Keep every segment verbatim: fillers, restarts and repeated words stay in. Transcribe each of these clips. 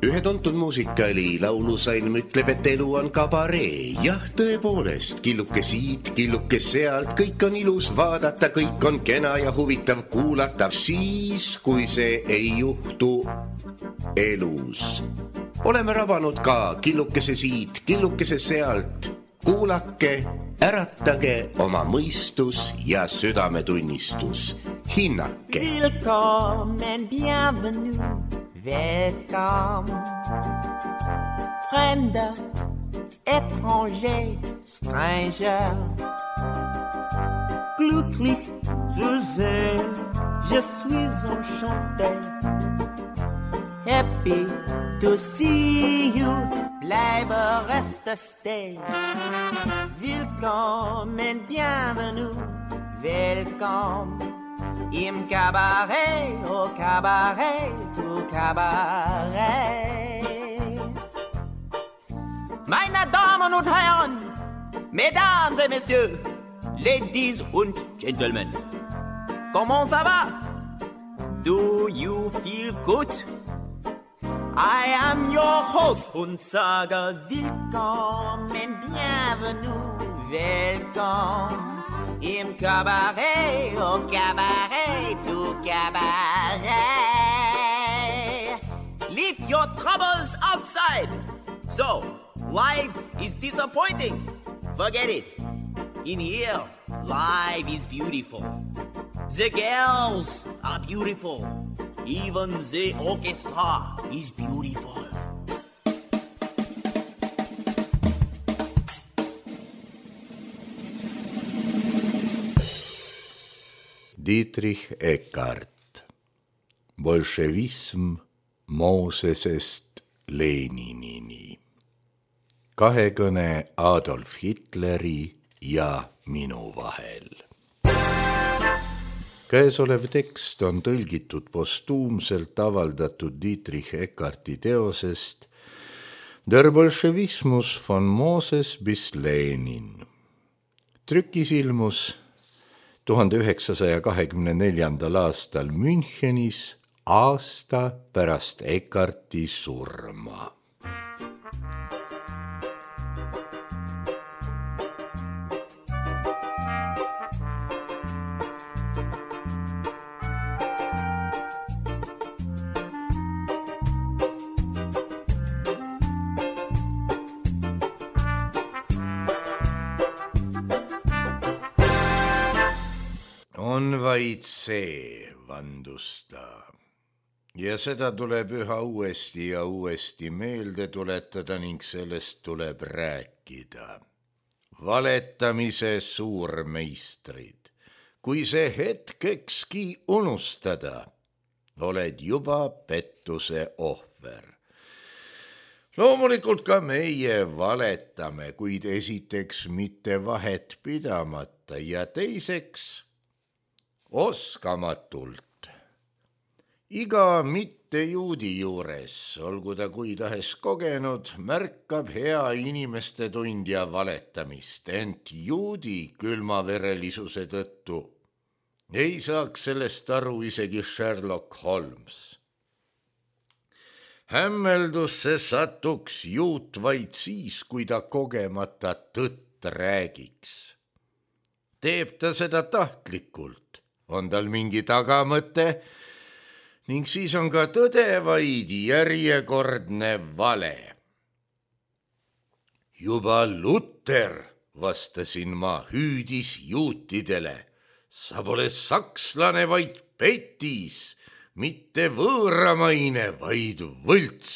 Ühe tuntud muusikali laulusalm ütleb, et elu on kabaree. Jah, tõepoolest, killuke siit, killuke sealt, kõik on ilus vaadata, kõik on kena ja huvitav kuulata, siis, kui see ei juhtu elus. Oleme rabanud ka killukese siit, killukese sealt. Kuulake, äratage oma mõistus ja südametunnistus. Hinnake. Willkommen, bienvenue, welcome. Fremder, étranger, stranger. Glücklich zu sehen, je suis enchanté. Happy to see you, bleibe reste stay. Willkommen, bienvenue, welcome. Im Cabaret, au Cabaret, au Cabaret. Meine Damen und Herren, Mesdames et Messieurs, Ladies und Gentlemen, comment ça va? Do you feel good? I am your host und sage willkommen, bienvenue, welcome. Im Cabaret, au Cabaret, au Cabaret. Leave your troubles outside. So, life is disappointing. Forget it. In here, life is beautiful. The girls are beautiful. Even the orchestra is beautiful. Dietrich Eckart. Bolševism Moosesest Leninini. Kahekõne Adolf Hitleri ja minu vahel. Käesolev tekst on tõlgitud postuumselt avaldatud Dietrich Eckarti teosest Der Bolschevismus von Moses bis Lenin. Trükis ilmus tuhande üheksasaja kahekümne neljandal aastal Münchenis aasta pärast Eckarti surma. On vaid see, vandus ta. Ja seda tuleb üha uuesti ja uuesti meelde tuletada ning sellest tuleb rääkida. Valetamise suurmeistrid. Kui see hetkekski unustada, oled juba pettuse ohver. Loomulikult ka meie valetame, kuid esiteks mitte vahet pidamata ja teiseks oskamatult. Iga mitte juudi juures, olgu ta kui tahes kogenud, märkab hea inimeste tundja valetamist, ent juudi külmaverelisuse tõttu ei saaks sellest aru isegi Sherlock Holmes. Hämmeldusse satuks juut vaid siis, kui ta kogemata tõtt räägiks. Teeb ta seda tahtlikult, on tal mingi tagamõte ning siis on ka tõde vaid järjekordne vale. Juba Luther, vastasin ma, hüüdis juutidele, sa pole sakslane, vaid petis, mitte võõramaine, vaid võlts.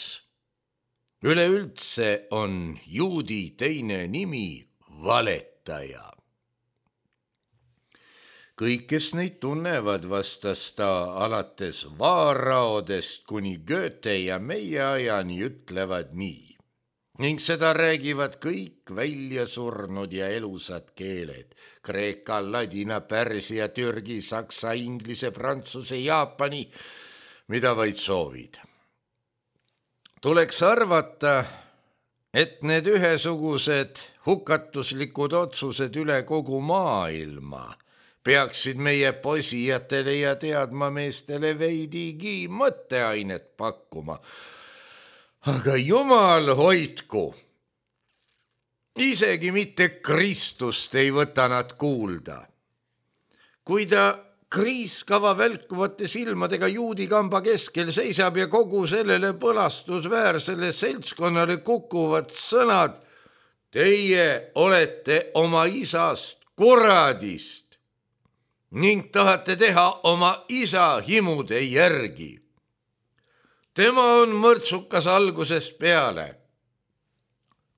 Üleüldse on juudi teine nimi valetaja. Kõik, kes neid tunnevad, vastas ta alates vaaraodest kuni Goethe ja meie ajani ütlevad nii. Ning seda räägivad kõik välja surnud ja elusad keeled. Kreeka, ladina, pärsia, türgi, saksa, inglise, prantsuse, jaapani, mida vaid soovid. Tuleks arvata, et need ühesugused hukatuslikud otsused üle kogu maailma peaksid meie posijatele ja teadmameestele veidigi mõtteainet pakkuma. Aga jumal hoidku, isegi mitte Kristust ei võta nad kuulda. Kui ta kriiskava välkuvate silmadega juudi kamba keskel seisab ja kogu sellele põlastusväärsele seltskonnale kukuvad sõnad, teie olete oma isast kuradist ning tahate teha oma isa himude järgi. Tema on mõrtsukas algusest peale.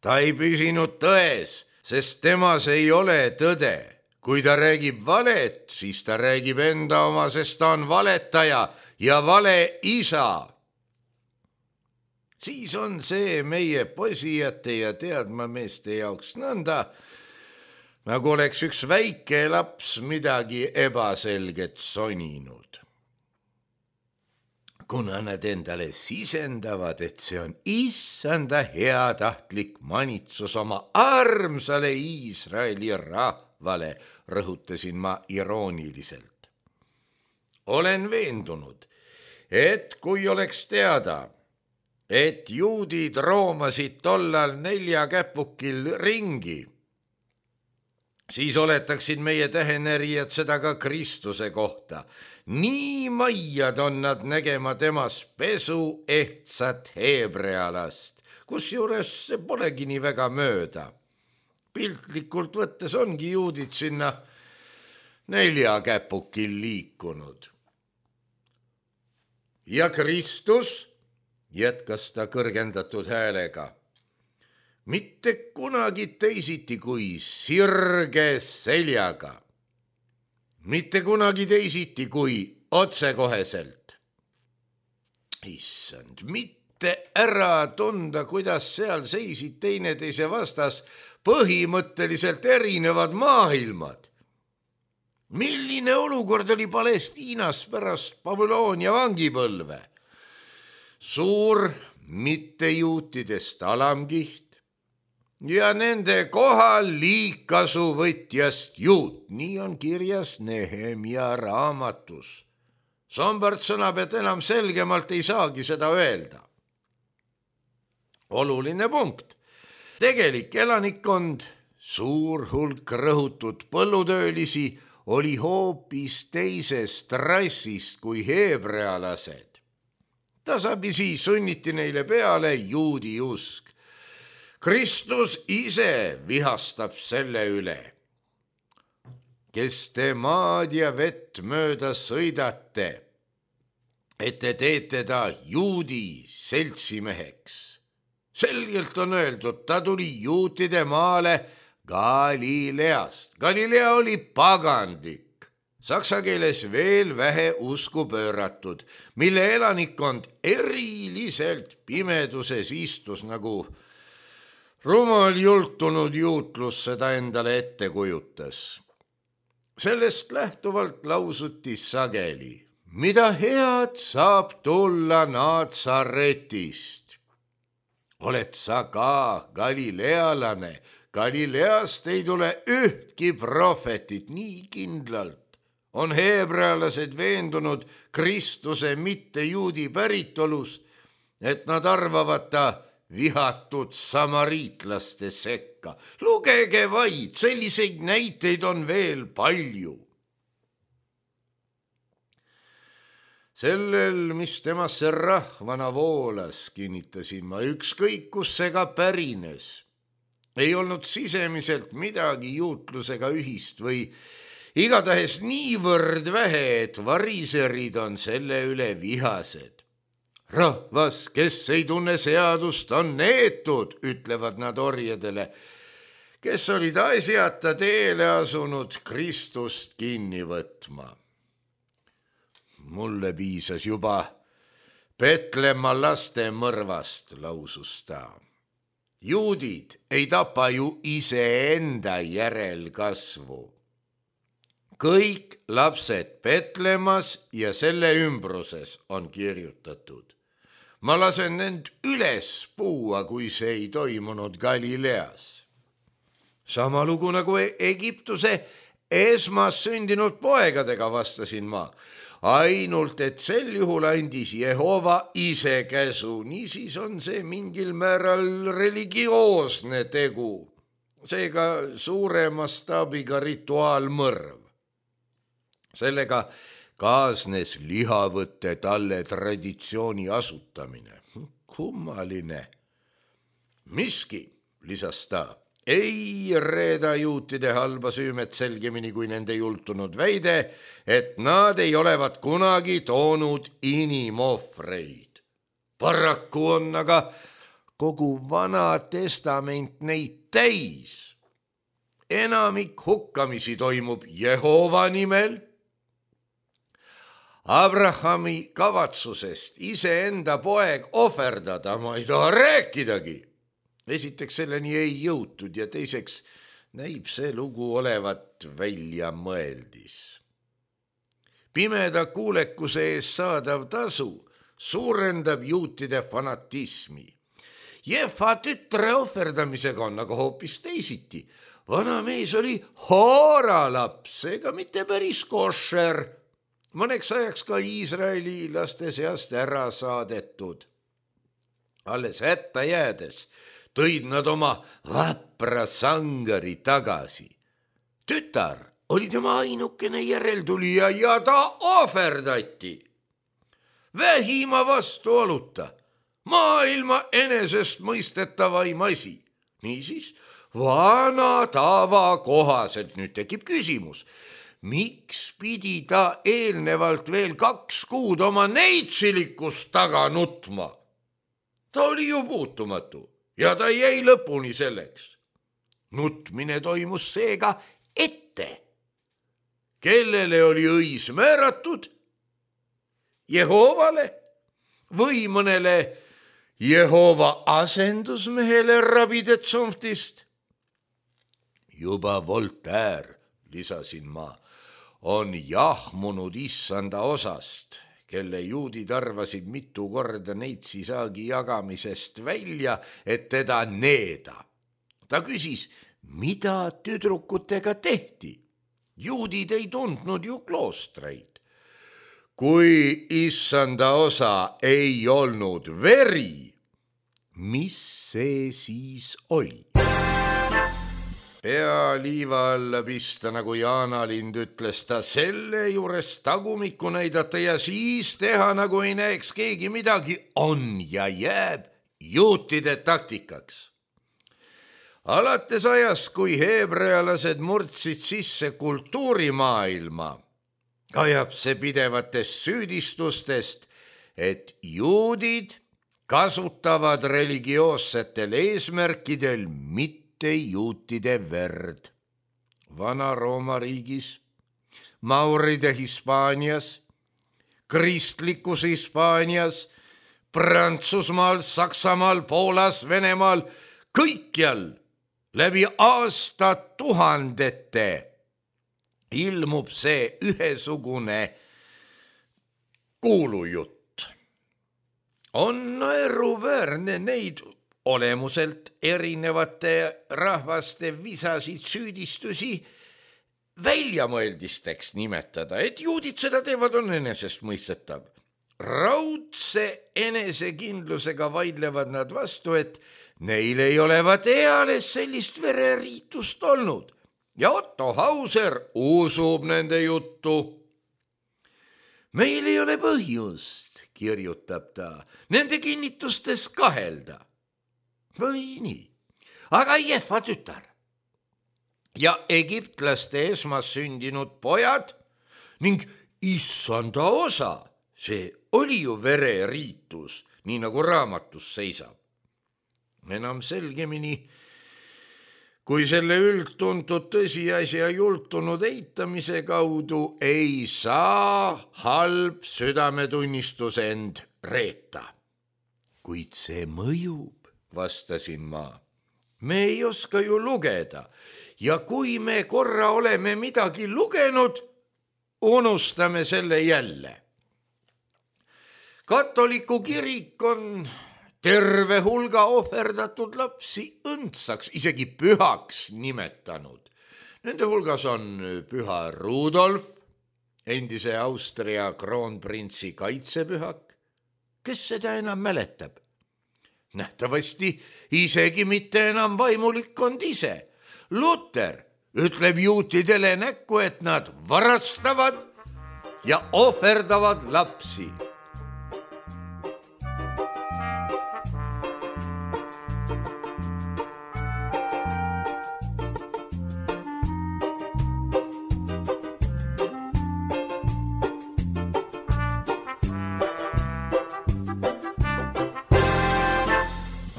Ta ei püsinud tões, sest temas ei ole tõde. Kui ta räägib valet, siis ta räägib enda oma, sest ta on valetaja ja vale isa. Siis on see meie posijate ja teadmameeste jaoks nõnda, nagu oleks üks väike laps midagi ebaselget soninud. Kuna nad endale sisendavad, et see on issanda heatahtlik manitsus oma armsale Iisraeli rahvale, rõhutasin ma irooniliselt. Olen veendunud, et kui oleks teada, et juudid roomasid tollal nelja käpukil ringi, siis oletaksid meie tähenärijad seda ka Kristuse kohta. Nii maiad on nad nägema temas pesu ehtsat heebrealast, kusjuures see polegi nii väga mööda. Piltlikult võttes ongi juudid sinna nelja käpukil liikunud. Ja Kristus, jätkas ta kõrgendatud häälega, mitte kunagi teisiti kui sirge seljaga. Mitte kunagi teisiti kui otsekoheselt. Issand, mitte ära tunda, kuidas seal seisid teineteise vastas põhimõtteliselt erinevad maailmad. Milline olukord oli Palestiinas pärast Babyloonia vangipõlve? Suur mittejuutidest alamkiht ja nende kohal liigkasuvõtjast juut, nii on kirjas Nehemia raamatus. Sombart sõnab, et enam selgemalt ei saagi seda öelda. Oluline punkt. Tegelik elanikkond, suur hulk rõhutud põllutöölisi, oli hoopis teisest rassist kui heebrealased. Tasapisi sunniti neile peale juudi usk. Kristus ise vihastab selle üle. Kes te maad ja vett mööda sõidate, et te teete ta juudi seltsimeheks. Selgelt on öeldud, ta tuli juutide maale Galileast. Galilea oli pagandlik, saksa keeles veel vähe usku pööratud, mille elanikkond eriliselt pimeduses istus, nagu rumal jultunud juutlus seda endale ette kujutas. Sellest lähtuvalt lausuti sageli, mida head saab tulla Natsaretist. Oled sa ka galilealane, Galileast ei tule ühtki prohvetit nii kindlalt. On heebrealased veendunud Kristuse mitte juudi päritolus, et nad arvavad ta vihatud samariitlaste sekka. Lugege vaid, selliseid näiteid on veel palju. Sellel, mis temasse rahvana voolas, kinnitasin ma, ükskõik kus see ka pärines. Ei olnud sisemiselt midagi juutlusega ühist või igatahes niivõrd vähe, et variserid on selle üle vihased. Rahvas, kes ei tunne seadust, on neetud, ütlevad nad orjadele, kes olid asjata teele asunud Kristust kinni võtma. Mulle piisas juba Petlemma laste mõrvast, lausus ta. Juudid ei tapa ju iseenda järelkasvu. Kõik lapsed Petlemmas ja selle ümbruses on kirjutatud. Ma lasen end üles puua, kui see ei toimunud Galileas. Sama lugu nagu Egiptuse esmas sündinud poegadega, vastasin ma. Ainult, et sel juhul andis Jehova ise käsu, niisiis on see mingil määral religioosne tegu, seega suure mastaabiga rituaalmõrv. Sellega kaasnes lihavõtte talle traditsiooni asutamine. Kummaline. Miski, lisas ta, ei reeda juutide halba süümet selgemini kui nende jultunud väide, et nad ei olevat kunagi toonud inimohvreid. Paraku on aga kogu Vana Testament neid täis. Enamik hukkamisi toimub Jehova nimel. Abrahami kavatsusest iseenda poeg ohverdada ma ei taha rääkidagi. Esiteks selleni ei jõutud ja teiseks näib see lugu olevat välja mõeldis. Pimeda kuulekuse ees saadav tasu suurendab juutide fanatismi. Jefa tütre ohverdamisega on aga hoopis teisiti. Vana mees oli hooralaps, ega mitte päris košer. Mõneks ajaks ka Iisraeli laste seast ära saadetud. Alles hätta jäädes tõid nad oma vapra sangari tagasi. Tütar oli tema ainukene järeltulija ja ta ohverdati. Vähima vastuoluta, maailma enesest mõistetavaim asi. Niisiis, vana tava kohaselt nüüd tekib küsimus, miks pidi ta eelnevalt veel kaks kuud oma neitsilikust taga nutma? Ta oli ju puutumatu. Ja ta jäi lõpuni selleks. Nutmine toimus seega ette. Kellele oli õis määratud? Jehovale või mõnele Jehova asendusmehele rabide tsomftist? Juba Voltaire, lisasin ma, on jahmunud issanda osast, kelle juudid arvasid mitu korda neitsisaagi jagamisest välja, et teda needa. Ta küsis, mida tüdrukutega tehti. Juudid ei tundnud ju kloostreid. Kui issanda osa ei olnud veri, mis see siis oli? Pea liiva alla pista, nagu Jaanalind ütles, ta selle juures tagumikku näidata ja siis teha, nagu ei näeks keegi midagi, on ja jääb juutide taktikaks. Alates ajast, kui heebrealased murdsid sisse kultuurimaailma, kajab see pidevatest süüdistustest, et juudid kasutavad religioossetel eesmärkidel mitte juutide verd. Vana-Rooma riigis, mauride Hispaanias, kristlikus Hispaanias, Prantsusmaal, Saksamaal, Poolas, Venemaal, kõikjal läbi aastatuhandete ilmub see ühesugune kuulujutt. On naeruväärne neid olemuselt erinevate rahvaste visasid süüdistusi väljamõeldisteks nimetada, et juudid seda teevad, on enesestmõistetav. Raudse enesekindlusega vaidlevad nad vastu, et neil ei olevat eales sellist vereriitust olnud ja Otto Hauser usub nende juttu. Meil ei ole põhjust, kirjutab ta, nende kinnitustes kahelda. Või nii, aga Jefa tütar ja egiptlaste esmas sündinud pojad ning issanda osa, see oli ju vereriitus, nii nagu raamatus seisab. Enam selgemini, kui selle üldtuntud tõsiasja jultunud eitamise kaudu ei saa halb südametunnistus end reeta. Kuid see mõjub, vastasin ma. Me ei oska ju lugeda ja kui me korra oleme midagi lugenud, unustame selle jälle. Katoliku kirik on terve hulga ohverdatud lapsi õndsaks, isegi pühaks nimetanud. Nende hulgas on püha Rudolf, endise Austria kroonprintsi kaitsepühak. Kes seda enam mäletab? Nähtavasti isegi mitte enam vaimulikkond ise. Luther ütleb juutidele näkku, et nad varastavad ja ohverdavad lapsi.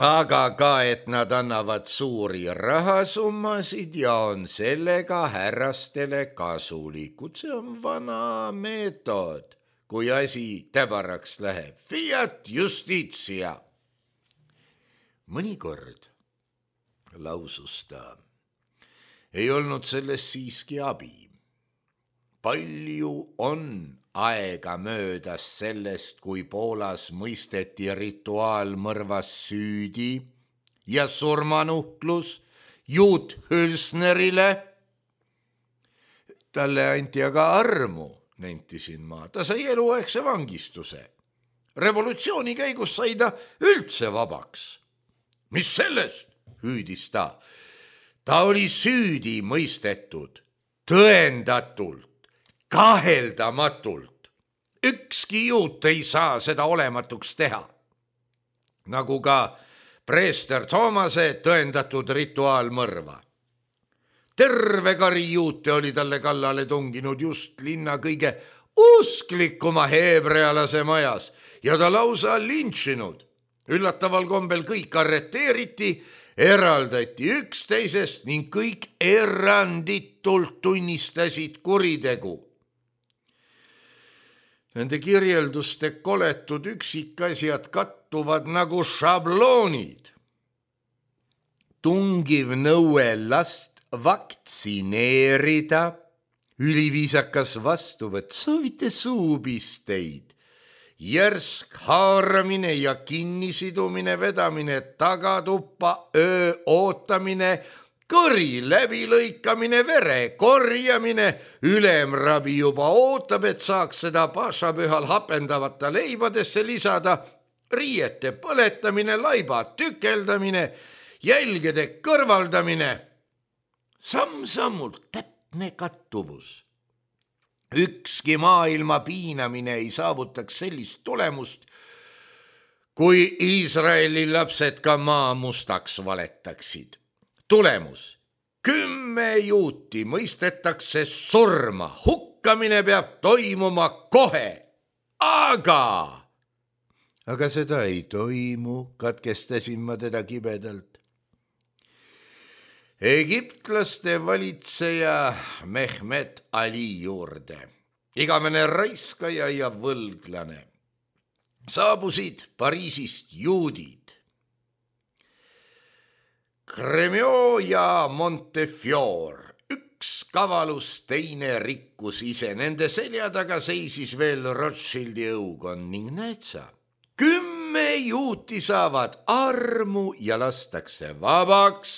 Aga ka, et nad annavad suuri rahasummasid ja on sellega härrastele kasulikud. See on vana meetod, kui asi täbaraks läheb. Fiat justitia. Mõnikord, lausus ta, ei olnud sellest siiski abi. Palju on aega möödas sellest, kui Poolas mõisteti rituaalmõrvas süüdi ja surmanuhtlus juut Hülsnerile. Talle anti aga armu, nentisin ma. Ta sai eluaegse vangistuse. Revolutsiooni käigus sai ta üldse vabaks. Mis sellest, hüüdis ta. Ta oli süüdi mõistetud, tõendatult. Kaheldamatult. Ükski juut ei saa seda olematuks teha. Nagu ka preester Toomase tõendatud rituaalmõrva. Terve kari juute oli talle kallale tunginud just linna kõige usklikuma heebrealase majas ja ta lausa lintšinud. Üllataval kombel kõik arreteeriti, eraldati üksteisest ning kõik eranditult tunnistasid kuritegu. Nende kirjelduste koletud üksikasjad kattuvad nagu šabloonid. Tungiv nõue last vaktsineerida, üliviisakas vastuvõtt, soovite suupisteid, järsk haaramine ja kinnisidumine, vedamine tagatuppa, öö ootamine, kõri läbilõikamine, vere korjamine, ülemrabi juba ootab, et saaks seda pašapühal hapendavata leibadesse lisada, riiete põletamine, laiba tükeldamine, jälgede kõrvaldamine, samm-sammult täpne kattuvus. Ükski maailma piinamine ei saavutaks sellist tulemust, kui Iisraeli lapsed ka maa mustaks valetaksid. Tulemus. Kümme juuti mõistetakse surma. Hukkamine peab toimuma kohe. Aga... Aga seda ei toimu, katkestasin ma teda kibedalt. Egiptlaste valitseja Mehmet Ali juurde. Igavene raiskaja ja võlglane. Saabusid Pariisist juudid. Cremio ja Montefiore, üks kavalus, teine rikkus ise. Nende selja taga seisis veel Rothschildi õukond ning näed sa, kümme juuti saavad armu ja lastakse vabaks.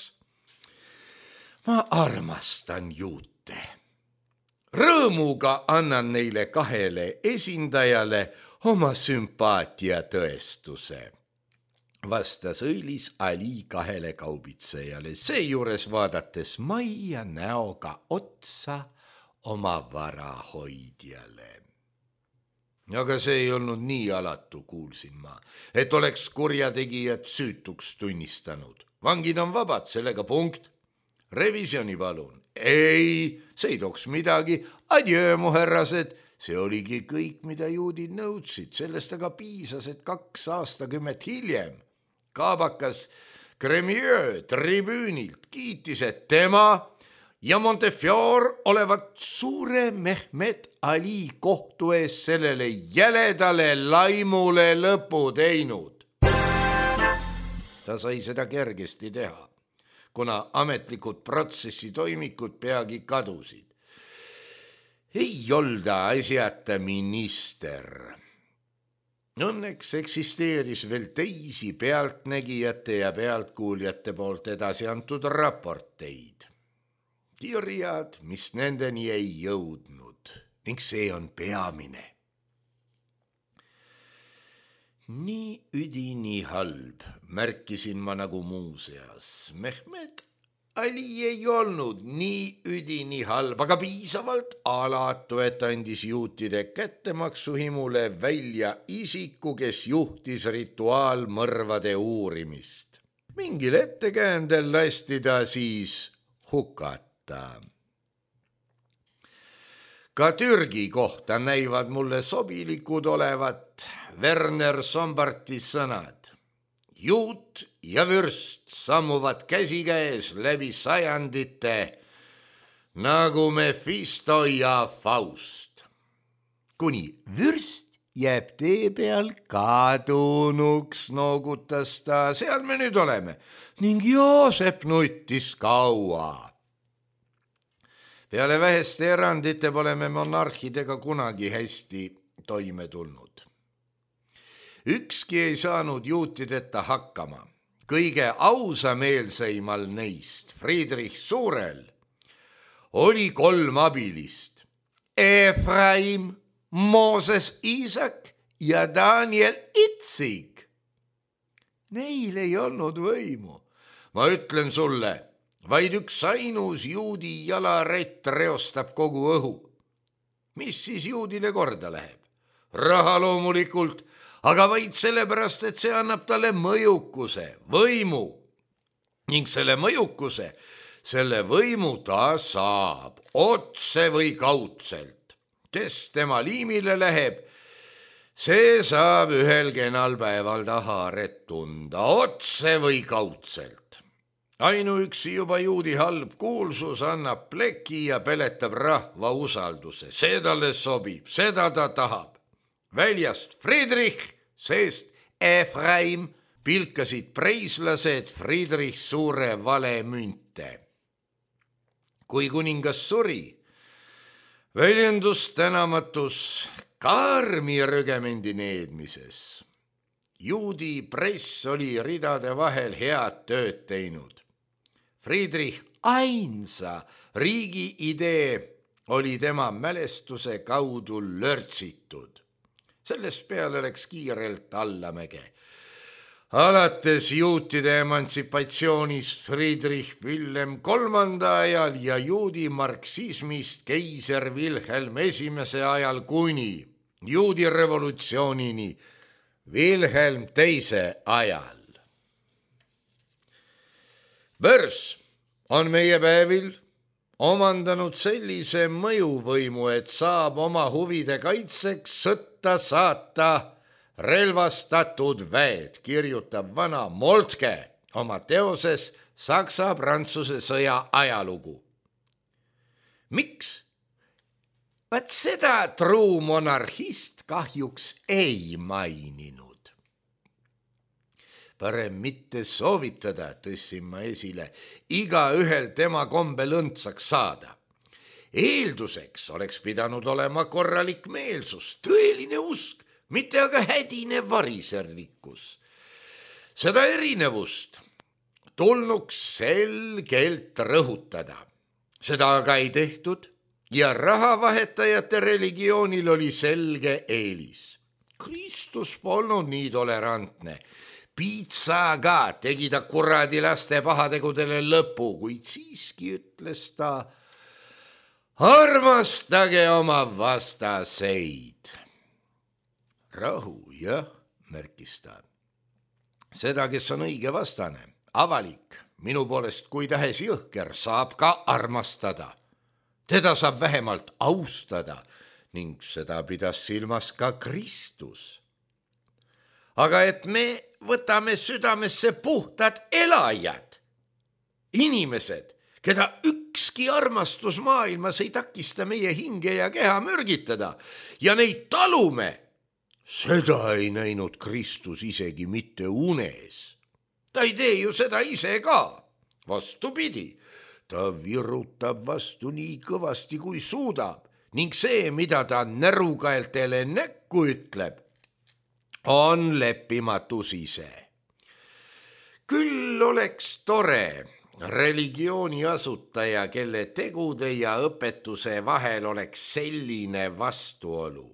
Ma armastan juute. Rõõmuga annan neile kahele esindajale oma sümpaatia tõestuse. Vastas õilis Ali kahele kaubitsejale, seejuures vaadates majja näoga otsa oma varahoidjale. Aga see ei olnud nii alatu, kuulsin ma, et oleks kurjategijad süütuks tunnistanud. Vangid on vabad, sellega punkt. Revisjoni palun. Ei, see ei tooks midagi. Adjöö, mu härrased. See oligi kõik, mida juudid nõudsid. Sellest aga piisas, et kaks aastakümmet hiljem kaabakas Cremieux tribüünilt kiitis, et tema ja Montefiore olevat suure Mehmet Ali kohtu ees sellele jäledale laimule lõpu teinud. Ta sai seda kergesti teha, kuna ametlikud protsessi toimikud peagi kadusid. Ei olda asjata minister. Õnneks eksisteeris veel teisi pealtnägijate ja pealtkuuljate poolt edasi antud raporteid. kirjad, mis nendeni ei jõudnud ning see on peamine. Nii üdini halb, märkisin ma nagu muuseas. Mehmed Ali ei olnud nii üdini halb, aga piisavalt alatu, et andis juutide kättemaksuhimule välja isiku, kes juhtis rituaalmõrvade uurimist. Mingil ettekäändel lasti ta siis hukata. Ka Türgi kohta näivad mulle sobilikud olevat Werner Sombarti sõnad. Juut ja vürst sammuvad käsikäes läbi sajandite nagu Mephisto ja Faust. Kuni vürst jääb tee peal kadunuks, noogutas ta, seal me nüüd oleme, ning Joosep nuttis kaua. Peale väheste erandite pole me monarhidega kunagi hästi toime tulnud. Ükski ei saanud juutideta hakkama. Kõige ausameelseimal neist, Friedrich Suurel, oli kolm abilist. Efraim, Mooses Iisak ja Daniel Itsik. Neil ei olnud võimu. Ma ütlen sulle, vaid üks ainus juudi jalarett reostab kogu õhu. Mis siis juudile korda läheb? Raha loomulikult, aga vaid sellepärast, et see annab talle mõjukuse, võimu. Ning selle mõjukuse, selle võimu ta saab otse või kaudselt. Kes tema liimile läheb, see saab ühel kenal päeval ta haaret tunda otse või kaudselt. Ainuüksi juba juudi halb kuulsus annab pleki ja peletab rahva usalduse. See talle sobib, seda ta tahab. Väljast Friedrich, seest Efraim, pilkasid preislased Friedrich Suure valemünte. Kui kuningas suri, väljendus tänamatus karmi rügemendi needmises. Juudi press oli ridade vahel head tööd teinud. Friedrich ainsa riigi idee oli tema mälestuse kaudu lörtsitud. Sellest peale läks kiirelt allamäge. Alates juutide emantsipatsioonist Friedrich Wilhelm kolmanda ajal ja juudi marksismist keiser Wilhelm esimese ajal kuni juudi revolutsioonini Wilhelm teise ajal. Börs on meie päevil omandanud sellise mõjuvõimu, et saab oma huvide kaitseks sõtta saata relvastatud väed, kirjutab vana Moltke oma teoses Saksa-Prantsuse sõja ajalugu. Miks? Vaat seda truu monarhist kahjuks ei maininud. Parem mitte soovitada, tõssin ma esile, iga ühel tema kombel õndsaks saada. Eelduseks oleks pidanud olema korralik meelsus, tõeline usk, mitte aga hädine variserlikkus. Seda erinevust tulnuks selgelt rõhutada. Seda aga ei tehtud ja rahavahetajate religioonil oli selge eelis. Kristus polnud nii tolerantne. Piitsaga tegi ta kuradi laste pahategudele lõpu, kuid siiski ütles ta, armastage oma vastaseid. Rahu, jah, märkis ta. Seda, kes on õige vastane, avalik, minu poolest kui tahes jõhker, saab ka armastada. Teda saab vähemalt austada ning seda pidas silmas ka Kristus. Aga et me võtame südamesse puhtad elajad, inimesed, keda ükski armastus maailmas ei takista meie hinge ja keha mürgitada ja neid talume, seda ei näinud Kristus isegi mitte unes. Ta ei tee ju seda ise ka, vastupidi, ta virutab vastu nii kõvasti kui suudab ning see, mida ta närukaeltele näkku ütleb, on leppimatus ise. Küll oleks tore, religiooni asutaja, kelle tegude ja õpetuse vahel oleks selline vastuolu.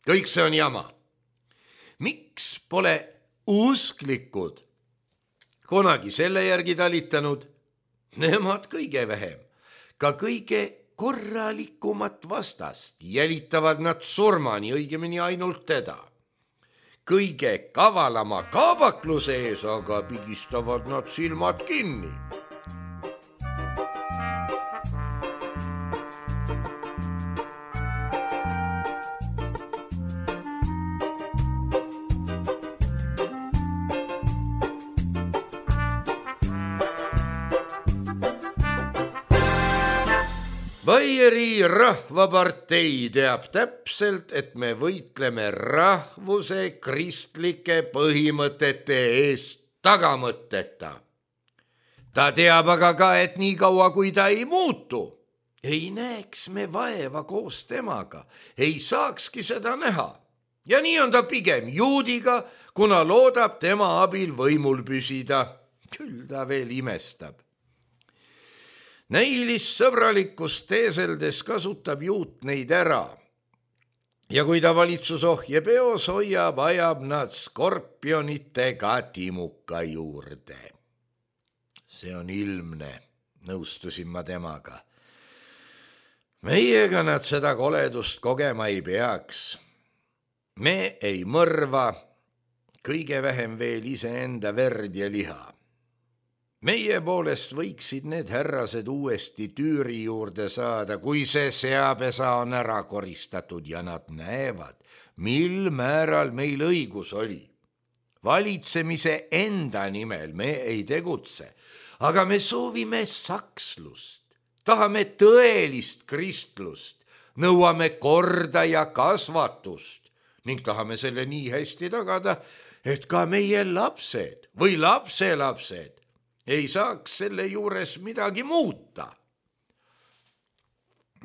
Kõik see on jama. Miks pole usklikud kunagi selle järgi talitanud? Nemad kõige vähem, ka kõige korralikumat vastast jälitavad nad surmani, õigemini ainult teda. Kõige kavalama kaabakluse ees aga pigistavad nad silmad kinni. Baieri rahvapartei teab täpselt, et me võitleme rahvuse kristlike põhimõtete eest tagamõtteta. Ta teab aga ka, et nii kaua kui ta ei muutu, ei näeks me vaeva koos temaga, ei saakski seda näha. Ja nii on ta pigem juudiga, kuna loodab tema abil võimul püsida. Küll ta veel imestab. Näilissõbralikkust teeseldes kasutab juut neid ära. Ja kui ta valitsusohje peos hoiab, ajab nad skorpionitega timuka juurde. See on ilmne, nõustusin ma temaga. Meiega nad seda koledust kogema ei peaks. Me ei mõrva, kõige vähem veel iseenda verd ja liha. Meie poolest võiksid need härrased uuesti tüüri juurde saada, kui see seapesa on ära koristatud ja nad näevad, mil määral meil õigus oli. Valitsemise enda nimel me ei tegutse, aga me soovime sakslust, tahame tõelist kristlust, nõuame korda ja kasvatust ning tahame selle nii hästi tagada, et ka meie lapsed või lapselapsed ei saaks selle juures midagi muuta.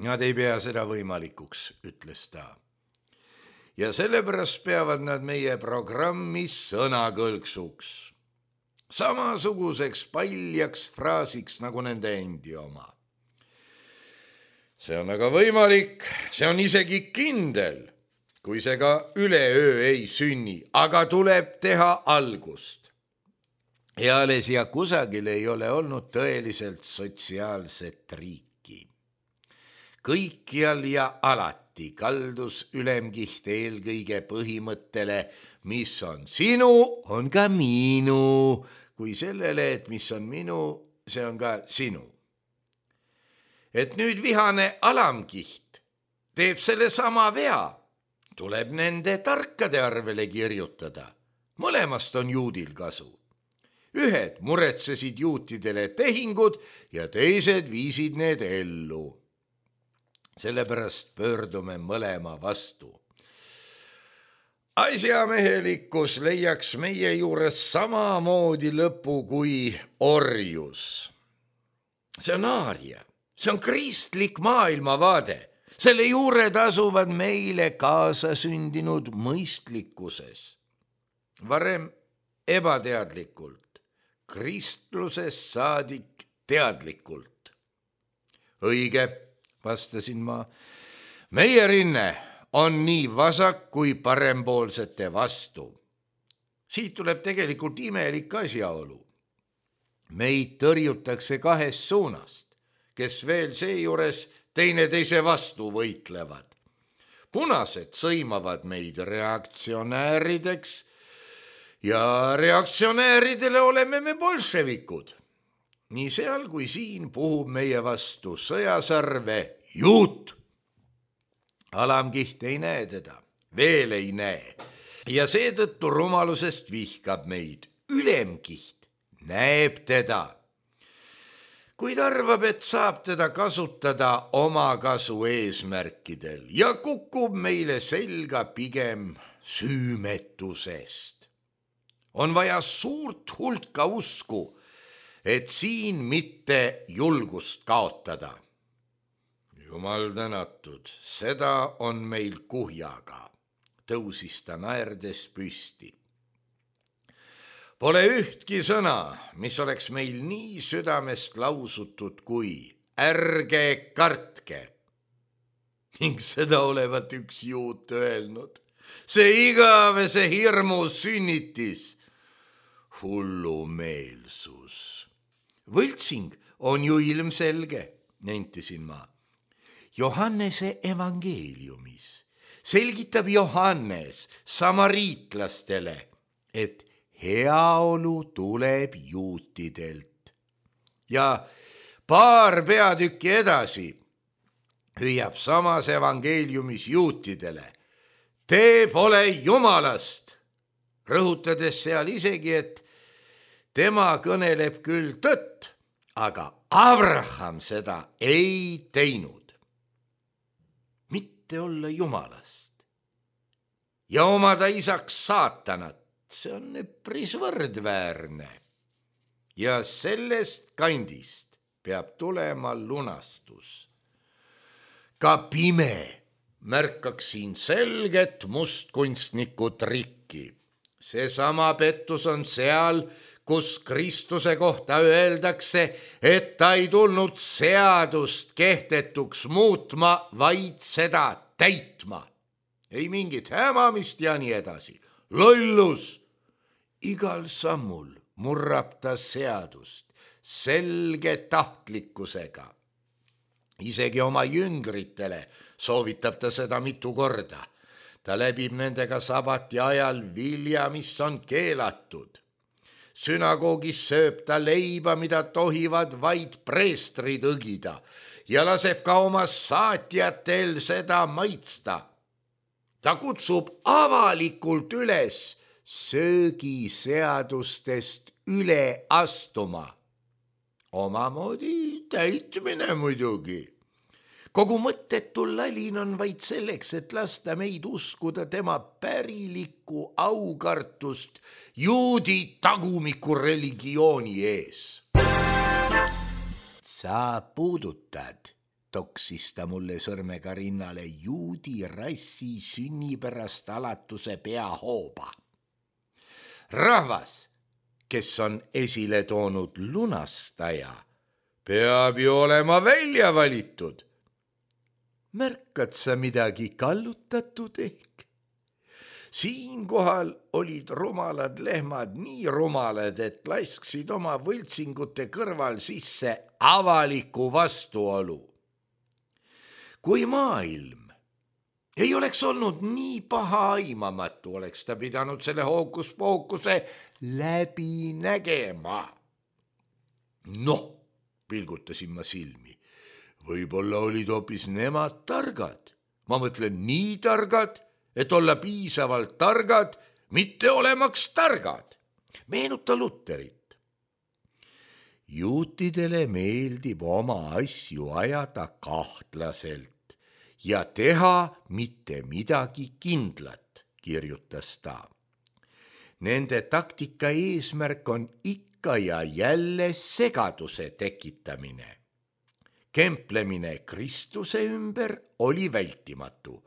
Nad ei pea seda võimalikuks, ütles ta. Ja sellepärast peavad nad meie programmi sõnakõlksuks. Samasuguseks paljaks fraasiks nagu nende endi oma. See on aga võimalik, see on isegi kindel, kui see ka üleöö ei sünni, aga tuleb teha algust. Eales ja kusagil ei ole olnud tõeliselt sotsiaalset riiki. Kõikjal ja alati kaldus ülemkiht eelkõige põhimõttele, mis on sinu, on ka minu, kui sellele, et mis on minu, see on ka sinu. Et nüüd vihane alamkiht teeb selle sama vea, tuleb nende tarkade arvele kirjutada. Mõlemast on juudil kasu. Ühed muretsesid juutidele tehingud ja teised viisid need ellu. Sellepärast pöördume mõlema vastu. Asjamehelikkus leiaks meie juures samamoodi lõpu kui orjus. See on aaria, see on kristlik maailmavaade. Selle juured asuvad meile kaasasündinud mõistlikkuses. Varem ebateadlikult. Kristlusest saadik teadlikult. Õige, vastasin ma. Meie rinne on nii vasak kui parempoolsete vastu. Siit tuleb tegelikult imelik asjaolu. Meid tõrjutakse kahest suunast, kes veel seejuures teineteise vastu võitlevad. Punased sõimavad meid reaktsionäärideks, ja reaktsionääridele oleme me bolševikud. Nii seal kui siin puhub meie vastu sõjasarve juut. Alamkiht ei näe teda, veel ei näe. Ja seetõttu rumalusest vihkab meid. Ülemkiht näeb teda. Kuid arvab, et saab teda kasutada oma kasu eesmärkidel ja kukub meile selga pigem süümetusest. On vaja suurt hulka usku, et siin mitte julgust kaotada. Jumal tänatud, seda on meil kuhjaga, tõusis ta naerdes püsti. Pole ühtki sõna, mis oleks meil nii südamest lausutud kui ärge kartke. Ning seda olevat üks juut öelnud. See igavese hirmu sünnitis. Hullumeelsus. Võltsing on ju ilmselge, nentisin ma. Johannese evangeeliumis selgitab Johannes samariitlastele, et heaolu tuleb juutidelt. Ja paar peatükki edasi hüüab samas evangeeliumis juutidele. Te pole Jumalast, rõhutades seal isegi, et tema kõneleb küll tõtt, aga Abraham seda ei teinud. Mitte olla Jumalast ja omada isaks saatanat, see on üpris võrdväärne. Ja sellest kandist peab tulema lunastus. Ka pime märkaks siin selget mustkunstniku trikki. Seesama pettus on seal, kus Kristuse kohta öeldakse, et ta ei tulnud seadust kehtetuks muutma, vaid seda täitma. Ei mingit hämamist ja nii edasi. Lollus! Igal sammul murrab ta seadust selge tahtlikkusega. Isegi oma jüngritele soovitab ta seda mitu korda. Ta läbib nendega sabati ajal vilja, mis on keelatud. Sünagoogis sööb ta leiba, mida tohivad vaid preestrid õgida, ja laseb ka oma saatjatel seda maitsta. Ta kutsub avalikult üles söögiseadustest üle astuma. Omamoodi täitmine muidugi. Kogu mõttetu lalin on vaid selleks, et lasta meid uskuda tema pärilikku aukartust juudi tagumiku religiooni ees. Sa puudutad, toksis ta mulle sõrmega rinnale, juudi rassi sünnipärast alatuse peahooba. Rahvas, kes on esile toonud lunastaja, peab ju olema välja valitud. Märkad sa midagi kallutatud ehk? Siinkohal olid rumalad lehmad nii rumalad, et lasksid oma võltsingute kõrval sisse avaliku vastuolu. Kui maailm ei oleks olnud nii paha aimamatu, oleks ta pidanud selle hookuspookuse läbi nägema. Noh, pilgutasin ma silmi. Võib-olla olid hoopis nemad targad. Ma mõtlen nii targad, et olla piisavalt targad, mitte olemaks targad. Meenuta Luterit. Juutidele meeldib oma asju ajada kahtlaselt ja teha mitte midagi kindlat, kirjutas ta. Nende taktika eesmärk on ikka ja jälle segaduse tekitamine. Kemplemine Kristuse ümber oli vältimatu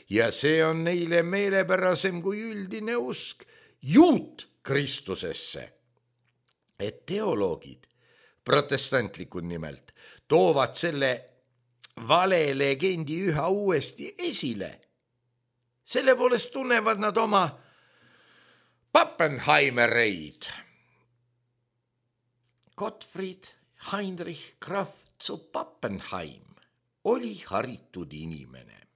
ja see on neile meelepärasem kui üldine usk juut Kristusesse. Et teoloogid, protestantlikud nimelt, toovad selle vale legendi üha uuesti esile. Selle poolest tunnevad nad oma Pappenheimereid. Gottfried Heinrich Graf zu Pappenheim oli haritud inimene.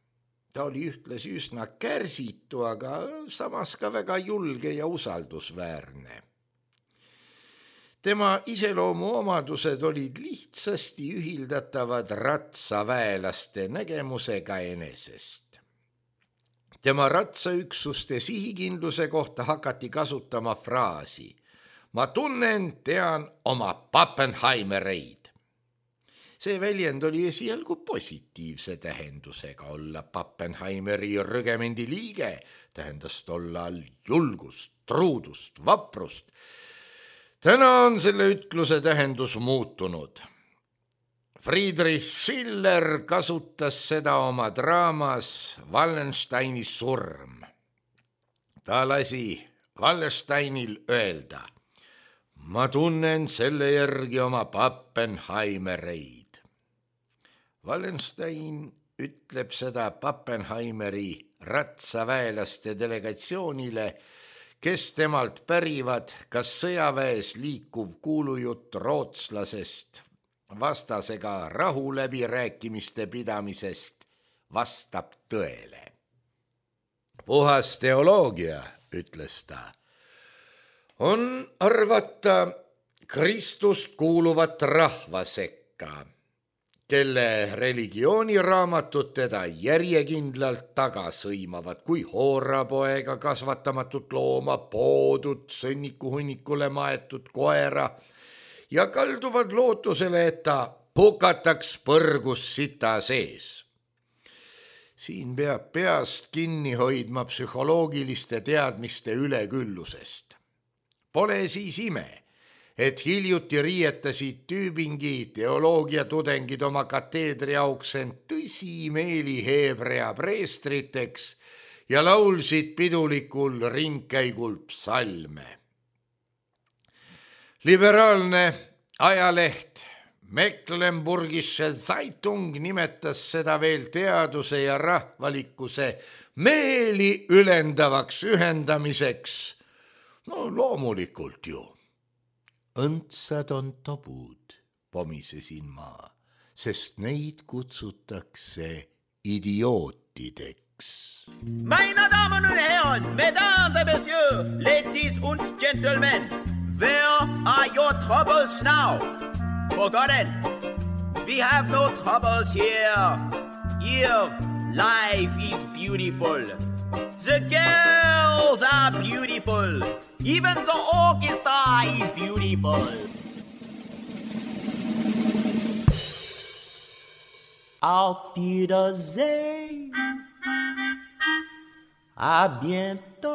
Ta oli ühtlasi üsna kärsitu, aga samas ka väga julge ja usaldusväärne. Tema iseloomu omadused olid lihtsasti ühildatavad ratsaväelaste nägemusega enesest. Tema ratsaüksuste sihikindluse kohta hakati kasutama fraasi: ma tunnen, tean oma Pappenheimereid. See väljend oli esialgu positiivse tähendusega. Olla Pappenheimeri rügemendi liige tähendas tollal julgust, truudust, vaprust. Täna on selle ütluse tähendus muutunud. Friedrich Schiller kasutas seda oma draamas Wallensteini surm. Ta lasi Wallensteinil öelda: ma tunnen selle järgi oma Pappenheimereid. Wallenstein ütleb seda Pappenheimeri ratsaväelaste delegatsioonile, kes temalt pärivad, kas sõjaväes liikuv kuulujutt rootslasest vastasega rahuläbirääkimiste pidamisest vastab tõele. Puhas teoloogia, ütles ta, on arvata Kristust kuuluvat rahva sekka, kelle religiooniraamatud teda järjekindlalt taga sõimavad kui hoorapoega kasvatamatut looma, poodud sõnnikuhunnikule maetud koera ja kalduvad lootusele, et ta hukataks põrgus sita sees. Siin peab peast kinni hoidma psühholoogiliste teadmiste üleküllusest. Pole siis ime, et hiljuti riietasid Tübingi teoloogiatudengid oma kateedri auks end tõsimeeli heebrea preestriteks ja laulsid pidulikul ringkäigul psalme. Liberaalne ajaleht Mecklenburgische Zeitung nimetas seda veel teaduse ja rahvalikkuse meeli ülendavaks ühendamiseks. No loomulikult ju. Õndsad on tobud, pomisesin ma, sest neid kutsutakse idiootideks. Meine Damen und Herren, Mesdames et Messieurs, ladies und gentlemen, where are your troubles now? Forgotten, we have no troubles here. Here, life is beautiful. The girls are beautiful. Even the orchestra is beautiful. Auf Wiedersehen. À bientôt.